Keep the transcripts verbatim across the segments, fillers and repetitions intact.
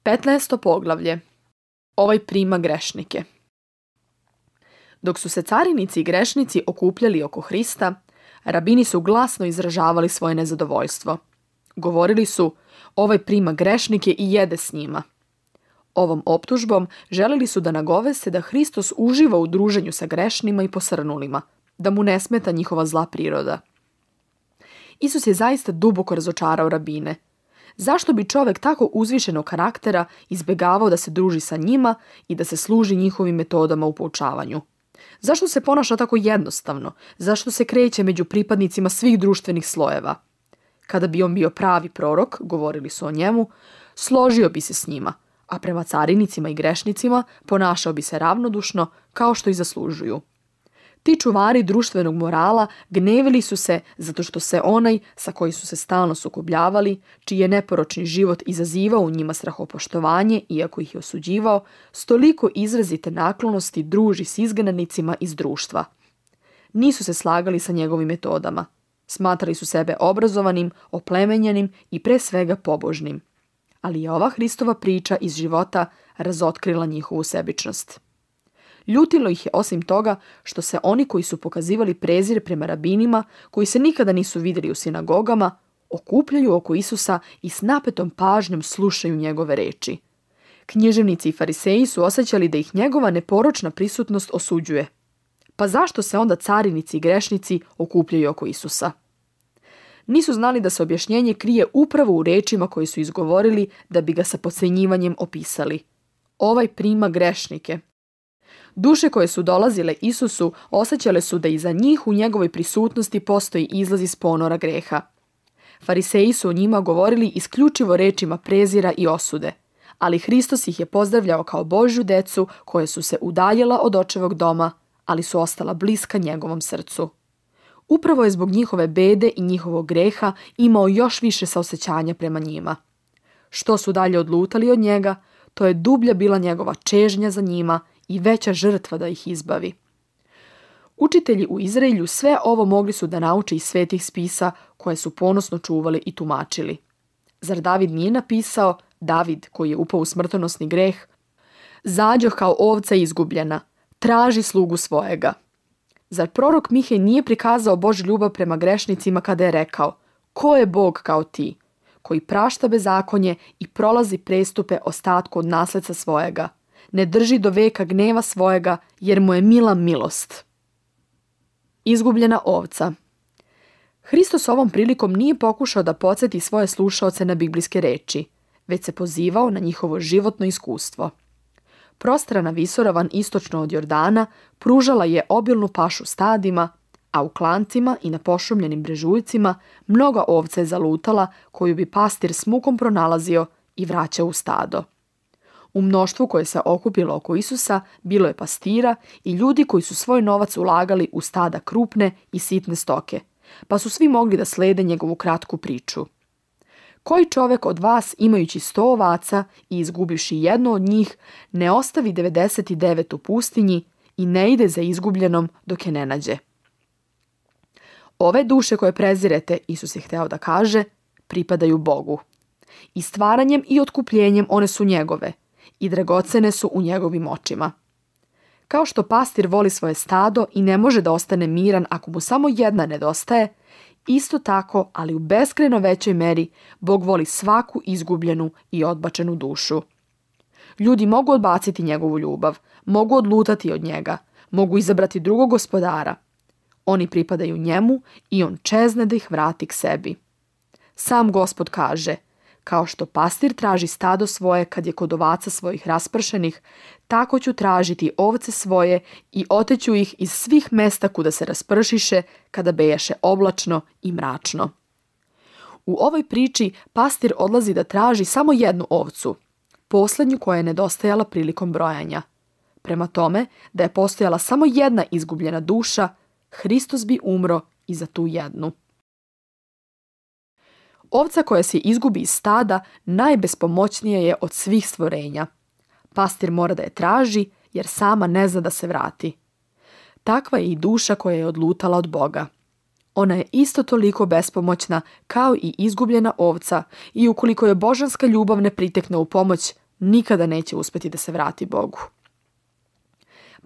petnaesto poglavlje. Ovaj prima grešnike. Dok su se carinici i grešnici okupljali oko Hrista, rabini su glasno izražavali svoje nezadovoljstvo. Govorili su, ovaj prima grešnike i jede s njima. Ovom optužbom želili su da nagoveste da Hristos uživa u druženju sa grešnima i posrnulima, da mu ne smeta njihova zla priroda. Isus je zaista duboko razočarao rabine. Zašto bi čovjek tako uzvišenog karaktera izbjegavao da se druži sa njima i da se služi njihovim metodama u poučavanju? Zašto se ponaša tako jednostavno? Zašto se kreće među pripadnicima svih društvenih slojeva? Kada bi on bio pravi prorok, govorili su o njemu, složio bi se s njima, a prema carinicima i grešnicima ponašao bi se ravnodušno kao što i zaslužuju. Ti čuvari društvenog morala gnevili su se zato što se onaj sa koji su se stalno sukobljavali, čiji je neporočni život izazivao u njima strahopoštovanje, iako ih je osuđivao, s toliko izrazite naklonosti druži s izgnanicima iz društva. Nisu se slagali sa njegovim metodama. Smatrali su sebe obrazovanim, oplemenjenim i pre svega pobožnim. Ali je ova Hristova priča iz života razotkrila njihovu sebičnost. Ljutilo ih je osim toga što se oni koji su pokazivali prezir prema rabinima, koji se nikada nisu vidjeli u sinagogama, okupljaju oko Isusa i s napetom pažnjom slušaju njegove reči. Književnici i fariseji su osjećali da ih njegova neporočna prisutnost osuđuje. Pa zašto se onda carinici i grešnici okupljaju oko Isusa? Nisu znali da se objašnjenje krije upravo u rečima koje su izgovorili da bi ga sa podcjenjivanjem opisali. Ovaj prima grešnike. Duše koje su dolazile Isusu osjećale su da iza njih u njegovoj prisutnosti postoji izlaz iz ponora greha. Fariseji su o njima govorili isključivo rečima prezira i osude, ali Hristos ih je pozdravljao kao Božju decu koje su se udaljila od očevog doma, ali su ostala bliska njegovom srcu. Upravo je zbog njihove bede i njihovog greha imao još više saosećanja prema njima. Što su dalje odlutali od njega, to je dublja bila njegova čežnja za njima i veća žrtva da ih izbavi. Učitelji u Izraelju sve ovo mogli su da nauče iz svetih spisa koje su ponosno čuvali i tumačili. Zar David nije napisao, David koji je upao u smrtonosni greh, zađoh kao ovca izgubljena, traži slugu svojega. Zar prorok Mihej nije prikazao Božju ljubav prema grešnicima kada je rekao, ko je Bog kao ti, koji prašta bezakonje i prolazi prestupe ostatku od nasledca svojega, ne drži do veka gneva svojega, jer mu je mila milost. Izgubljena ovca. Hristos ovom prilikom nije pokušao da podsjeti svoje slušaoce na biblijske reči, već se pozivao na njihovo životno iskustvo. Prostrana visoravan istočno od Jordana pružala je obilnu pašu stadima, a u klancima i na pošumljenim brežuljcima mnoga ovca je zalutala koju bi pastir s mukom pronalazio i vraćao u stado. U mnoštvu koje se okupilo oko Isusa bilo je pastira i ljudi koji su svoj novac ulagali u stada krupne i sitne stoke, pa su svi mogli da slede njegovu kratku priču. Koji čovjek od vas, imajući sto ovaca i izgubivši jednu od njih, ne ostavi devedeset devet u pustinji i ne ide za izgubljenom dok je ne nađe? Ove duše koje prezirete, Isus je hteo da kaže, pripadaju Bogu. I stvaranjem i otkupljenjem one su njegove i dragocene su u njegovim očima. Kao što pastir voli svoje stado i ne može da ostane miran ako mu samo jedna nedostaje, isto tako, ali u beskrajno većoj meri, Bog voli svaku izgubljenu i odbačenu dušu. Ljudi mogu odbaciti njegovu ljubav, mogu odlutati od njega, mogu izabrati drugog gospodara. Oni pripadaju njemu i on čezne da ih vrati k sebi. Sam Gospod kaže, kao što pastir traži stado svoje kad je kod ovaca svojih raspršenih, tako ću tražiti ovce svoje i oteću ih iz svih mesta kuda se raspršiše kada bejaše oblačno i mračno. U ovoj priči pastir odlazi da traži samo jednu ovcu, posljednju koja je nedostajala prilikom brojanja. Prema tome, da je postojala samo jedna izgubljena duša, Hristos bi umro i za tu jednu. Ovca koja se izgubi iz stada najbespomoćnija je od svih stvorenja. Pastir mora da je traži jer sama ne zna da se vrati. Takva je i duša koja je odlutala od Boga. Ona je isto toliko bespomoćna kao i izgubljena ovca i ukoliko je božanska ljubav ne pritekne u pomoć, nikada neće uspjeti da se vrati Bogu.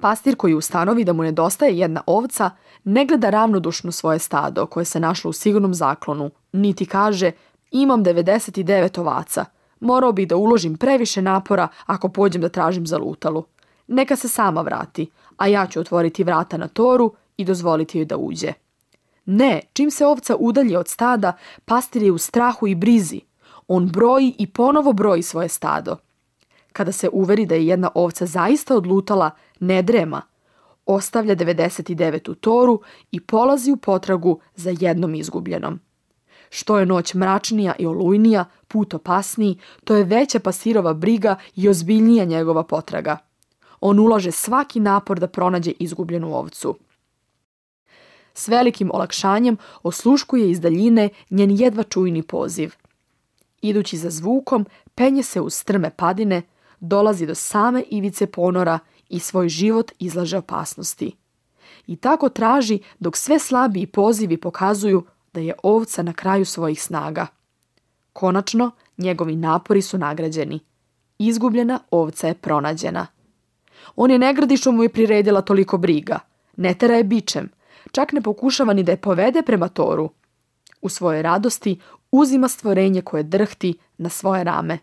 Pastir koji ustanovi da mu nedostaje jedna ovca, ne gleda ravnodušno svoje stado koje se našlo u sigurnom zaklonu, niti kaže imam devedeset devet ovaca, morao bih da uložim previše napora ako pođem da tražim zalutalu. Neka se sama vrati, a ja ću otvoriti vrata na toru i dozvoliti joj da uđe. Ne, čim se ovca udalji od stada, pastir je u strahu i brizi. On broji i ponovo broji svoje stado. Kada se uveri da je jedna ovca zaista odlutala, ne drema. Ostavlja devedeset devet u toru i polazi u potragu za jednom izgubljenom. Što je noć mračnija i olujnija, put opasniji, to je veća pastirova briga i ozbiljnija njegova potraga. On ulaže svaki napor da pronađe izgubljenu ovcu. S velikim olakšanjem osluškuje iz daljine njen jedva čujni poziv. Idući za zvukom, penje se uz strme padine, dolazi do same ivice ponora i svoj život izlaže opasnosti. I tako traži dok sve slabiji pozivi pokazuju da je ovca na kraju svojih snaga. Konačno, njegovi napori su nagrađeni. Izgubljena ovca je pronađena. On je ne gradi što mu je priredila toliko briga, ne tera je bičem, čak ne pokušava ni da je povede prema toru. U svojoj radosti uzima stvorenje koje drhti na svoje rame.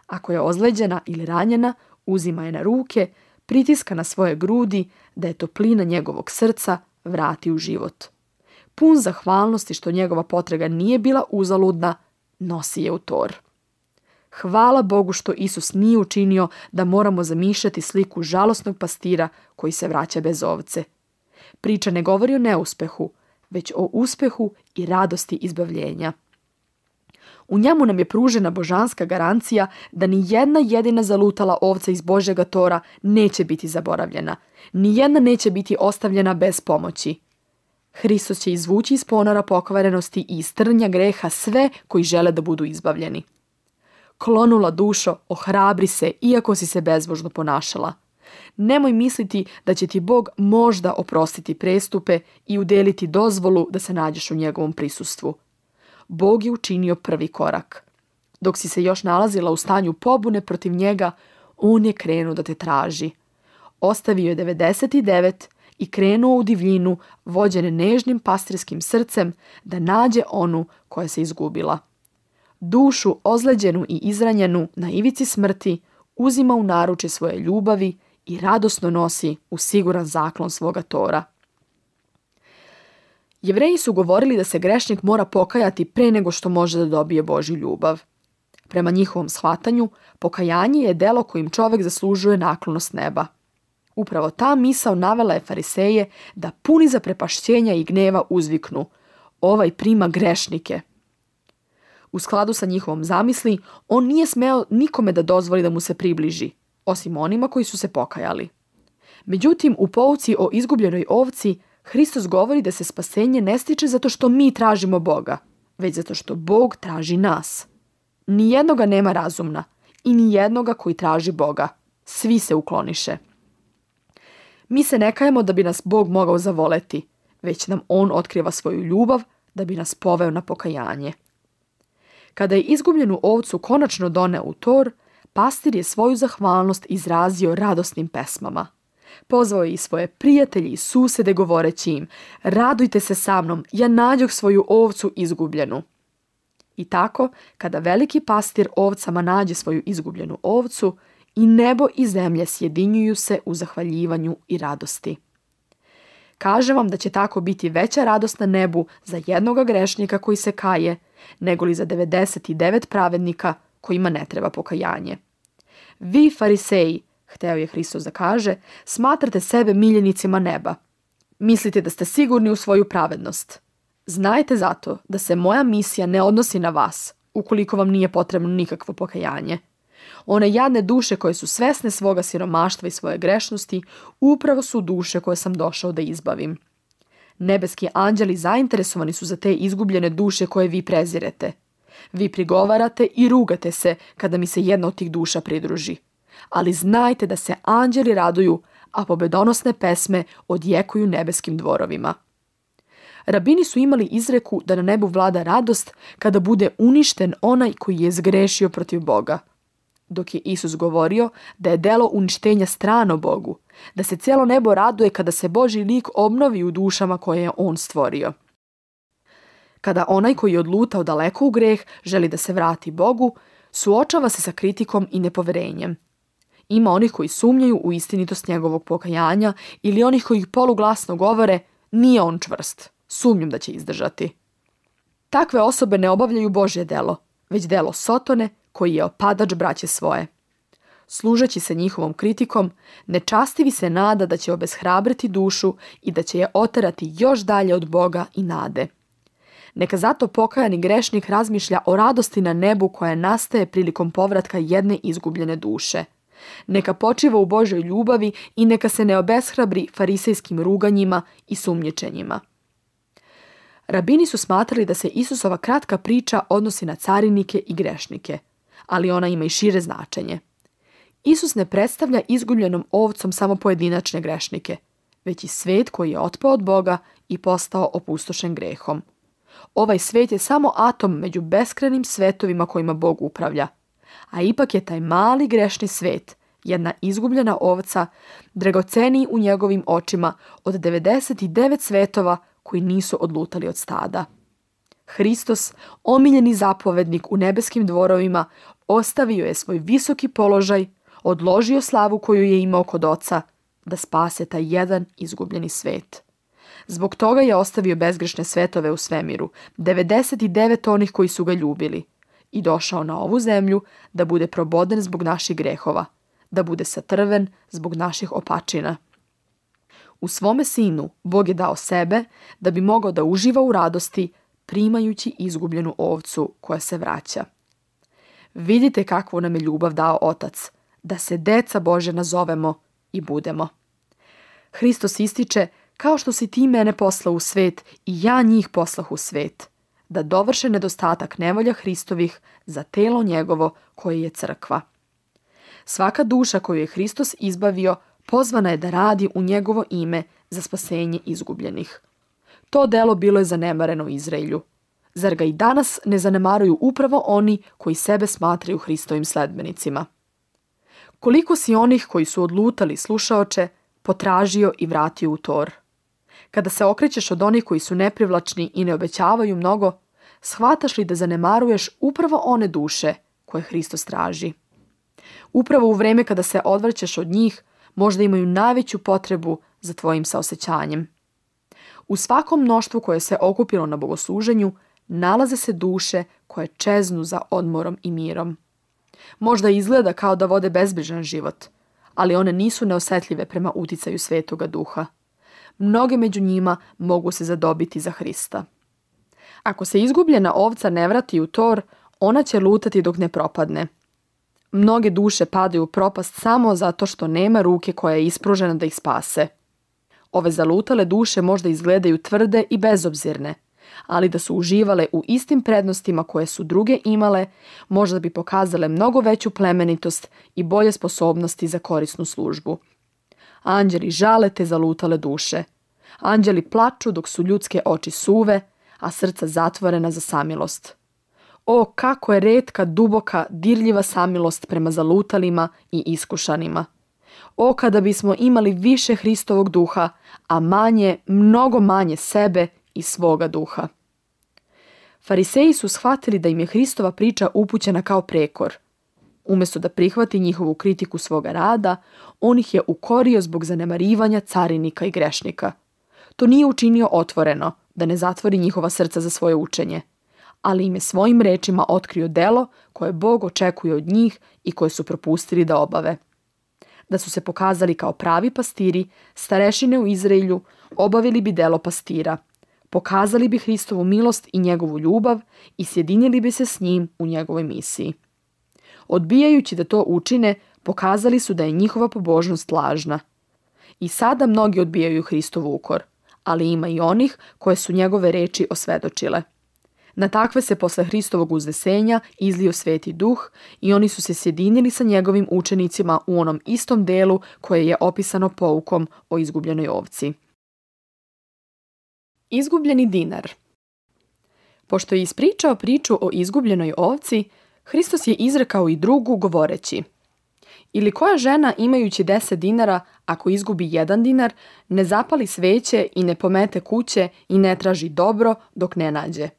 Ako je ozleđena ili ranjena, uzima je na ruke, pritiska na svoje grudi da je toplina njegovog srca vrati u život. Pun zahvalnosti što njegova potraga nije bila uzaludna, nosi je u tor. Hvala Bogu što Isus nije učinio da moramo zamišljati sliku žalosnog pastira koji se vraća bez ovce. Priča ne govori o neuspehu, već o uspehu i radosti izbavljenja. U njemu nam je pružena božanska garancija da ni jedna jedina zalutala ovca iz Božjega tora neće biti zaboravljena, ni jedna neće biti ostavljena bez pomoći. Hristos će izvući iz ponora pokvarenosti i iz trnja greha sve koji žele da budu izbavljeni. Klonula dušo, ohrabri se, iako si se bezbožno ponašala. Nemoj misliti da će ti Bog možda oprostiti prestupe i udeliti dozvolu da se nađeš u njegovom prisustvu. Bog je učinio prvi korak. Dok si se još nalazila u stanju pobune protiv njega, on je krenuo da te traži. Ostavio je devedeset devet i krenuo u divljinu, vođene nežnim pastirskim srcem, da nađe onu koja se izgubila. Dušu ozleđenu i izranjenu na ivici smrti uzima u naruče svoje ljubavi i radosno nosi u siguran zaklon svoga tora. Jevreji su govorili da se grešnik mora pokajati pre nego što može da dobije Božju ljubav. Prema njihovom shvatanju, pokajanje je delo kojim čovjek zaslužuje naklonost neba. Upravo ta misao navela je fariseje da puni zaprepašćenja i gneva uzviknu: ovaj prima grešnike. U skladu sa njihovom zamisli, on nije smeo nikome da dozvoli da mu se približi, osim onima koji su se pokajali. Međutim, u pouci o izgubljenoj ovci, Hristos govori da se spasenje ne stiče zato što mi tražimo Boga, već zato što Bog traži nas. Nijednoga nema razumna i nijednoga koji traži Boga. Svi se ukloniše. Mi se ne kajemo da bi nas Bog mogao zavoleti, već nam On otkriva svoju ljubav da bi nas poveo na pokajanje. Kada je izgubljenu ovcu konačno doneo u tor, pastir je svoju zahvalnost izrazio radosnim pesmama. Pozvao je i svoje prijatelje i susede govoreći im: radujte se sa mnom, ja nađoh svoju ovcu izgubljenu. I tako, kada veliki pastir ovcama nađe svoju izgubljenu ovcu, i nebo i zemlje sjedinjuju se u zahvaljivanju i radosti. Kažem vam da će tako biti veća radost na nebu za jednoga grešnika koji se kaje, nego li za devedeset devet pravednika kojima ne treba pokajanje. Vi, fariseji, hteo je Hristos da kaže, smatrate sebe miljenicima neba. Mislite da ste sigurni u svoju pravednost. Znajte zato da se moja misija ne odnosi na vas, ukoliko vam nije potrebno nikakvo pokajanje. One jadne duše koje su svesne svoga siromaštva i svoje grešnosti, upravo su duše koje sam došao da izbavim. Nebeski anđeli zainteresovani su za te izgubljene duše koje vi prezirete. Vi prigovarate i rugate se kada mi se jedna od tih duša pridruži. Ali znajte da se anđeli raduju, a pobedonosne pesme odjekuju nebeskim dvorovima. Rabini su imali izreku da na nebu vlada radost kada bude uništen onaj koji je zgrešio protiv Boga. dok je Isus govorio da je delo uništenja strano Bogu, da se cijelo nebo raduje kada se Božji lik obnovi u dušama koje je on stvorio. Kada onaj koji je odlutao daleko u greh želi da se vrati Bogu, suočava se sa kritikom i nepoverenjem. Ima onih koji sumnjaju u istinitost njegovog pokajanja ili onih koji poluglasno govore nije on čvrst, sumnjam da će izdržati. Takve osobe ne obavljaju Božje delo, već delo Sotone koji je opadač braće svoje. Služeći se njihovom kritikom, nečastivi se nada da će obeshrabriti dušu i da će je oterati još dalje od Boga i nade. Neka zato pokajani grešnik razmišlja o radosti na nebu koja nastaje prilikom povratka jedne izgubljene duše. Neka počiva u Božoj ljubavi i neka se ne obeshrabri farisejskim ruganjima i sumnjičenjima. Rabini su smatrali da se Isusova kratka priča odnosi na carinike i grešnike, ali ona ima i šire značenje. Isus ne predstavlja izgubljenom ovcom samo pojedinačne grešnike, već i svet koji je otpao od Boga i postao opustošen grehom. Ovaj svet je samo atom među beskrajnim svetovima kojima Bog upravlja, a ipak je taj mali grešni svet, jedna izgubljena ovca, dragoceniji u njegovim očima od devedeset devet svetova koji nisu odlutali od stada. Hristos, omiljeni zapovednik u nebeskim dvorovima, ostavio je svoj visoki položaj, odložio slavu koju je imao kod Oca, da spase taj jedan izgubljeni svet. Zbog toga je ostavio bezgrešne svetove u svemiru, devedeset devet onih koji su ga ljubili, i došao na ovu zemlju da bude proboden zbog naših grehova, da bude satrven zbog naših opačina. U svome sinu Bog je dao sebe da bi mogao da uživa u radosti primajući izgubljenu ovcu koja se vraća. Vidite kakvu nam je ljubav dao Otac, da se deca Božja nazovemo i budemo. Hristos ističe, kao što si ti mene poslao u svet i ja njih poslah u svet, da dovrše nedostatak nevolja Hristovih za telo njegovo koje je crkva. Svaka duša koju je Hristos izbavio pozvana je da radi u njegovo ime za spasenje izgubljenih. To delo bilo je zanemareno u Izraelju. Zar ga i danas ne zanemaruju upravo oni koji sebe smatraju Hristovim sledbenicima? Koliko si onih koji su odlutali, slušaoče, potražio i vratio u tor? Kada se okrećeš od onih koji su neprivlačni i ne obećavaju mnogo, shvataš li da zanemaruješ upravo one duše koje Hristos traži? Upravo u vreme kada se odvraćaš od njih, možda imaju najveću potrebu za tvojim saosećanjem. U svakom mnoštvu koje se okupilo na bogosluženju, nalaze se duše koje čeznu za odmorom i mirom. Možda izgleda kao da vode bezbrižan život, ali one nisu neosetljive prema uticaju Svetoga Duha. Mnoge među njima mogu se zadobiti za Hrista. Ako se izgubljena ovca ne vrati u tor, ona će lutati dok ne propadne. Mnoge duše padaju u propast samo zato što nema ruke koja je ispružena da ih spase. Ove zalutale duše možda izgledaju tvrde i bezobzirne, ali da su uživale u istim prednostima koje su druge imale, možda bi pokazale mnogo veću plemenitost i bolje sposobnosti za korisnu službu. Anđeli žale te zalutale duše. Anđeli plaču dok su ljudske oči suve, a srca zatvorena za samilost. O, kako je retka, duboka, dirljiva samilost prema zalutalima i iskušanima. O, kada bismo imali više Hristovog duha, a manje, mnogo manje sebe i svoga duha. Fariseji su shvatili da im je Hristova priča upućena kao prekor. Umjesto da prihvati njihovu kritiku svoga rada, on ih je ukorio zbog zanemarivanja carinika i grešnika. To nije učinio otvoreno, da ne zatvori njihova srca za svoje učenje, ali im je svojim rečima otkrio delo koje Bog očekuje od njih i koje su propustili da obave. Da su se pokazali kao pravi pastiri, starešine u Izraelju, obavili bi delo pastira, pokazali bi Hristovu milost i njegovu ljubav i sjedinili bi se s njim u njegovoj misiji. Odbijajući da to učine, pokazali su da je njihova pobožnost lažna. I sada mnogi odbijaju Hristov ukor, ali ima i onih koje su njegove reči osvedočile. Na takve se posle Hristovog uznesenja izlio Sveti Duh i oni su se sjedinili sa njegovim učenicima u onom istom delu koje je opisano poukom o izgubljenoj ovci. Izgubljeni dinar. Pošto je ispričao priču o izgubljenoj ovci, Hristos je izrekao i drugu govoreći: ili koja žena imajući deset dinara, ako izgubi jedan dinar, ne zapali sveće i ne pomete kuće i ne traži dobro dok ne nađe.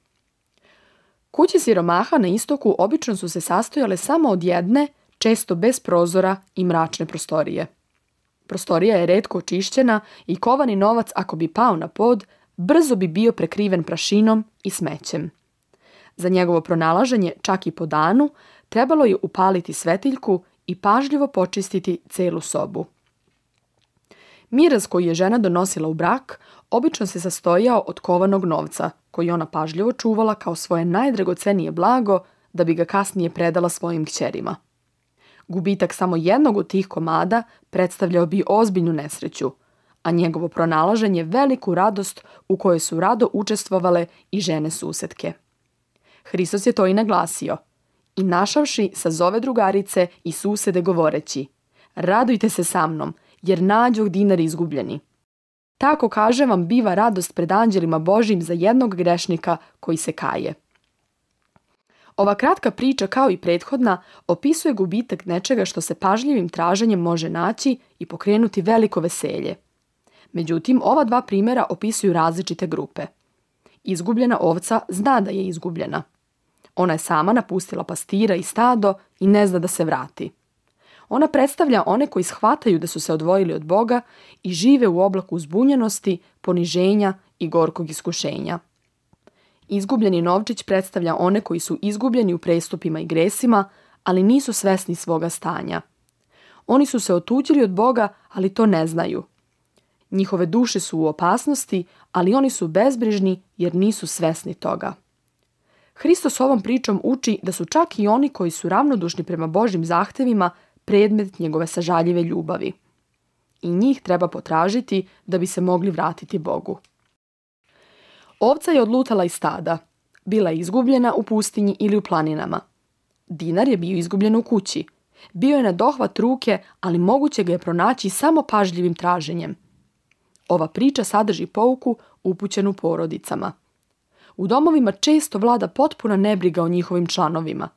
Kuće siromaha na istoku obično su se sastojale samo od jedne, često bez prozora i mračne prostorije. Prostorija je retko očišćena i kovani novac, ako bi pao na pod, brzo bi bio prekriven prašinom i smećem. Za njegovo pronalaženje, čak i po danu, trebalo je upaliti svetiljku i pažljivo počistiti celu sobu. Miraz koji je žena donosila u brak obično se sastojao od kovanog novca, koji ona pažljivo čuvala kao svoje najdragocenije blago da bi ga kasnije predala svojim kćerima. Gubitak samo jednog od tih komada predstavljao bi ozbiljnu nesreću, a njegovo pronalaženje veliku radost u kojoj su rado učestvovale i žene susetke. Hristos je to i naglasio. I našavši sazove drugarice i susede govoreći: radujte se sa mnom, jer nađoh dinar izgubljeni. Tako, kažem vam, biva radost pred anđelima Božjim za jednog grešnika koji se kaje. Ova kratka priča, kao i prethodna, opisuje gubitak nečega što se pažljivim traženjem može naći i pokrenuti veliko veselje. Međutim, ova dva primjera opisuju različite grupe. Izgubljena ovca zna da je izgubljena. Ona je sama napustila pastira i stado i ne zna da se vrati. Ona predstavlja one koji shvataju da su se odvojili od Boga i žive u oblaku zbunjenosti, poniženja i gorkog iskušenja. Izgubljeni novčić predstavlja one koji su izgubljeni u prestupima i gresima, ali nisu svesni svoga stanja. Oni su se otuđili od Boga, ali to ne znaju. Njihove duše su u opasnosti, ali oni su bezbrižni jer nisu svesni toga. Hristos ovom pričom uči da su čak i oni koji su ravnodušni prema Božjim zahtevima predmet njegove sažaljive ljubavi. I njih treba potražiti da bi se mogli vratiti Bogu. Ovca je odlutala iz stada. Bila je izgubljena u pustinji ili u planinama. Dinar je bio izgubljen u kući. Bio je na dohvat ruke, ali moguće ga je pronaći samo pažljivim traženjem. Ova priča sadrži pouku upućenu porodicama. U domovima često vlada potpuna nebriga o njihovim članovima.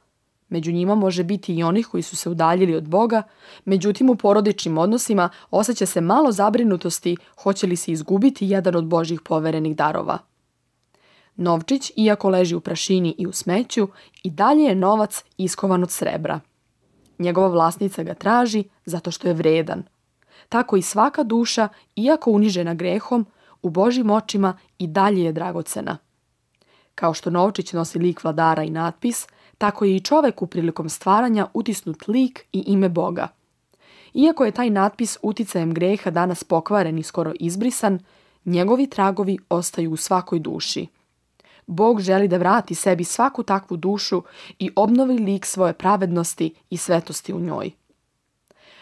Među njima može biti i onih koji su se udaljili od Boga, međutim u porodičnim odnosima osjeća se malo zabrinutosti hoće li se izgubiti jedan od Božjih poverenih darova. Novčić, iako leži u prašini i u smeću, i dalje je novac iskovan od srebra. Njegova vlasnica ga traži zato što je vredan. Tako i svaka duša, iako unižena grehom, u Božjim očima i dalje je dragocena. Kao što novčić nosi lik vladara i natpis, tako je i čoveku prilikom stvaranja utisnut lik i ime Boga. Iako je taj natpis uticajem greha danas pokvaren i skoro izbrisan, njegovi tragovi ostaju u svakoj duši. Bog želi da vrati sebi svaku takvu dušu i obnovi lik svoje pravednosti i svetosti u njoj.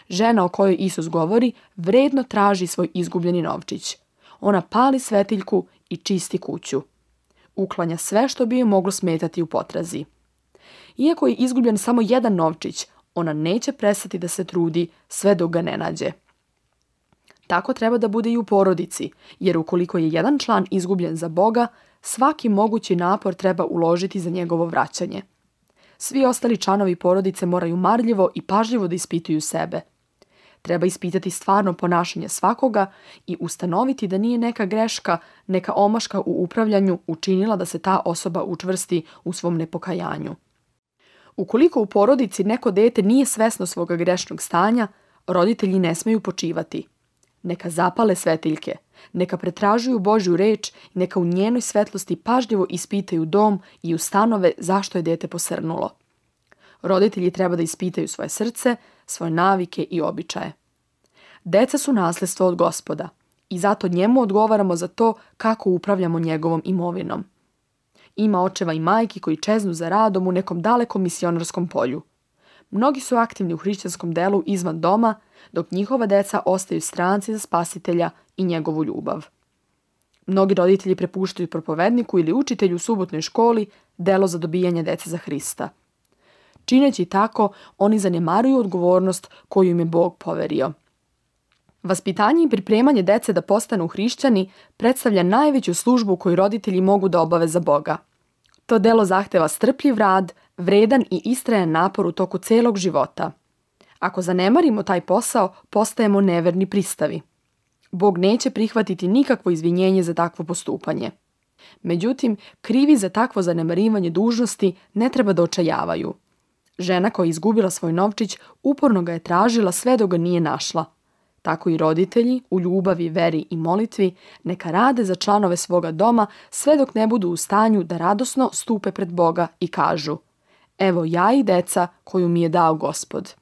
Žena o kojoj Isus govori vredno traži svoj izgubljeni novčić. Ona pali svetiljku i čisti kuću. Uklanja sve što bi joj moglo smetati u potrazi. Iako je izgubljen samo jedan novčić, ona neće prestati da se trudi sve dok ga ne nađe. Tako treba da bude i u porodici, jer ukoliko je jedan član izgubljen za Boga, svaki mogući napor treba uložiti za njegovo vraćanje. Svi ostali članovi porodice moraju marljivo i pažljivo da ispituju sebe. Treba ispitati stvarno ponašanje svakoga i ustanoviti da nije neka greška, neka omaška u upravljanju učinila da se ta osoba učvrsti u svom nepokajanju. Ukoliko u porodici neko dete nije svesno svoga grešnog stanja, roditelji ne smeju počivati. Neka zapale svetiljke, neka pretražuju Božju reč i neka u njenoj svetlosti pažljivo ispitaju dom i ustanove zašto je dete posrnulo. Roditelji treba da ispitaju svoje srce, svoje navike i običaje. Deca su nasljedstvo od Gospoda i zato njemu odgovaramo za to kako upravljamo njegovom imovinom. Ima očeva i majki koji čeznu za radom u nekom dalekom misionarskom polju. Mnogi su aktivni u hrišćanskom delu izvan doma, dok njihova deca ostaju stranci za Spasitelja i njegovu ljubav. Mnogi roditelji prepuštaju propovedniku ili učitelju u subotnoj školi delo za dobijanje dece za Hrista. Čineći tako, oni zanemaruju odgovornost koju im je Bog poverio. Vaspitanje i pripremanje dece da postanu hrišćani predstavlja najveću službu koju roditelji mogu da obave za Boga. To delo zahteva strpljiv rad, vredan i istrajan napor u toku celog života. Ako zanemarimo taj posao, postajemo neverni pristavi. Bog neće prihvatiti nikakvo izvinjenje za takvo postupanje. Međutim, krivi za takvo zanemarivanje dužnosti ne treba da očajavaju. Žena koja je izgubila svoj novčić uporno ga je tražila sve dok ga nije našla. Tako i roditelji, u ljubavi, veri i molitvi, neka rade za članove svoga doma sve dok ne budu u stanju da radosno stupe pred Boga i kažu: evo ja i deca koju mi je dao Gospod.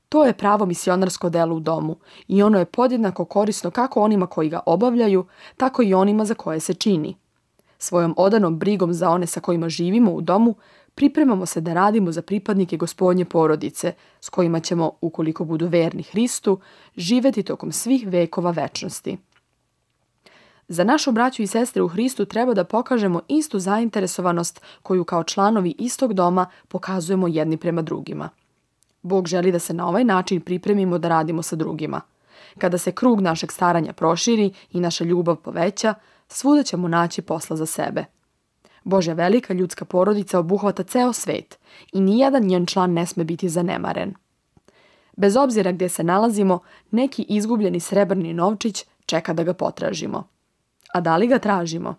To je pravo misionarsko delo u domu i ono je podjednako korisno kako onima koji ga obavljaju, tako i onima za koje se čini. Svojom odanom brigom za one sa kojima živimo u domu, pripremamo se da radimo za pripadnike Gospodnje porodice, s kojima ćemo, ukoliko budu verni Hristu, živjeti tokom svih vekova večnosti. Za našu braću i sestre u Hristu treba da pokažemo istu zainteresovanost koju kao članovi istog doma pokazujemo jedni prema drugima. Bog želi da se na ovaj način pripremimo da radimo sa drugima. Kada se krug našeg staranja proširi i naša ljubav poveća, svuda ćemo naći posla za sebe. Božja velika ljudska porodica obuhvata ceo svet i nijedan njen član ne sme biti zanemaren. Bez obzira gdje se nalazimo, neki izgubljeni srebrni novčić čeka da ga potražimo. A da li ga tražimo?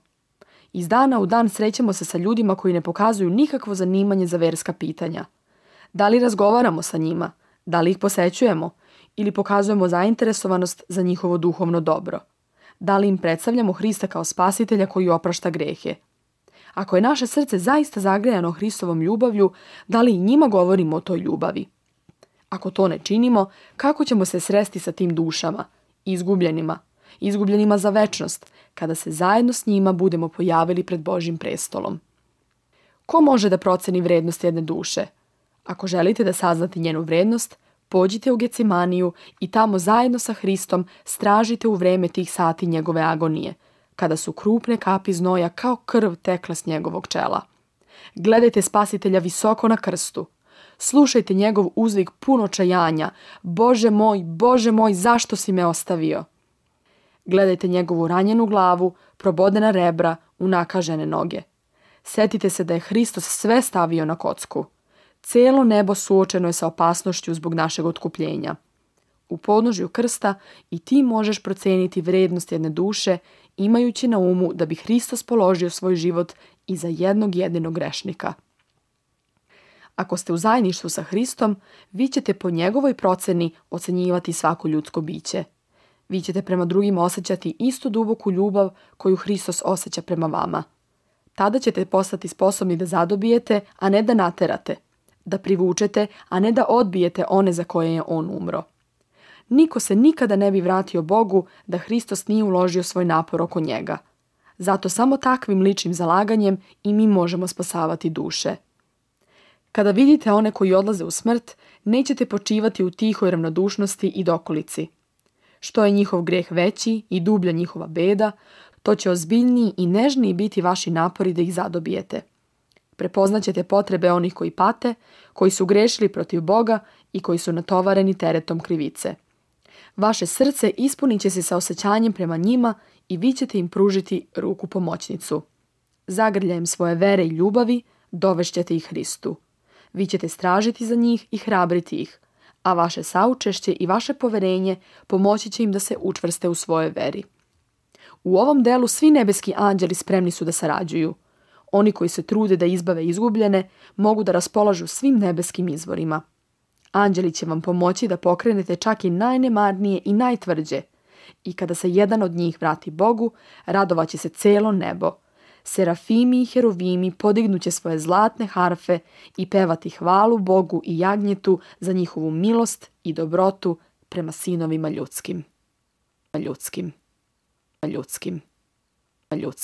Iz dana u dan srećemo se sa ljudima koji ne pokazuju nikakvo zanimanje za verska pitanja. Da li razgovaramo sa njima? Da li ih posećujemo? Ili pokazujemo zainteresovanost za njihovo duhovno dobro? Da li im predstavljamo Hrista kao spasitelja koji oprašta grehe? Ako je naše srce zaista zagrejano Hristovom ljubavlju, da li i njima govorimo o toj ljubavi? Ako to ne činimo, kako ćemo se sresti sa tim dušama, izgubljenima, izgubljenima za večnost, kada se zajedno s njima budemo pojavili pred Božjim prestolom? Ko može da proceni vrednost jedne duše? Ako želite da saznate njenu vrednost, pođite u Gecimaniju i tamo zajedno sa Hristom stražite u vreme tih sati njegove agonije, kada su krupne kapi znoja kao krv tekle s njegovog čela. Gledajte spasitelja visoko na krstu. Slušajte njegov uzvik pun očajanja: Bože moj, Bože moj, zašto si me ostavio? Gledajte njegovu ranjenu glavu, probodena rebra, unakažene noge. Setite se da je Hristos sve stavio na kocku. Cijelo nebo suočeno je sa opasnošću zbog našeg otkupljenja. U podnožju krsta i ti možeš proceniti vrednost jedne duše, imajući na umu da bi Hristos položio svoj život i za jednog jedinog grešnika. Ako ste u zajedništvu sa Hristom, vi ćete po njegovoj proceni ocenjivati svako ljudsko biće. Vi ćete prema drugima osjećati istu duboku ljubav koju Hristos osjeća prema vama. Tada ćete postati sposobni da zadobijete, a ne da naterate, da privučete, a ne da odbijete one za koje je on umro. Niko se nikada ne bi vratio Bogu da Hristos nije uložio svoj napor oko njega. Zato samo takvim ličnim zalaganjem i mi možemo spasavati duše. Kada vidite one koji odlaze u smrt, nećete počivati u tihoj ravnodušnosti i dokolici. Što je njihov greh veći i dublja njihova beda, to će ozbiljniji i nežniji biti vaši napori da ih zadobijete. Prepoznaćete potrebe onih koji pate, koji su grešili protiv Boga i koji su natovareni teretom krivice. Vaše srce ispunit će se sa osjećanjem prema njima i vi ćete im pružiti ruku pomoćnicu. Zagrljajem svoje vere i ljubavi dovešćete ih Hristu. Vi ćete stražiti za njih i hrabriti ih, a vaše saučešće i vaše poverenje pomoći će im da se učvrste u svojoj veri. U ovom delu svi nebeski anđeli spremni su da sarađuju. Oni koji se trude da izbave izgubljene mogu da raspolažu svim nebeskim izvorima. Anđeli će vam pomoći da pokrenete čak i najnemarnije i najtvrđe. I kada se jedan od njih vrati Bogu, radovaće se celo nebo. Serafimi i herovimi podignuće svoje zlatne harfe i pevati hvalu Bogu i jagnjetu za njihovu milost i dobrotu prema sinovima ljudskim. Ljudskim. Ljudskim. Ljudskim.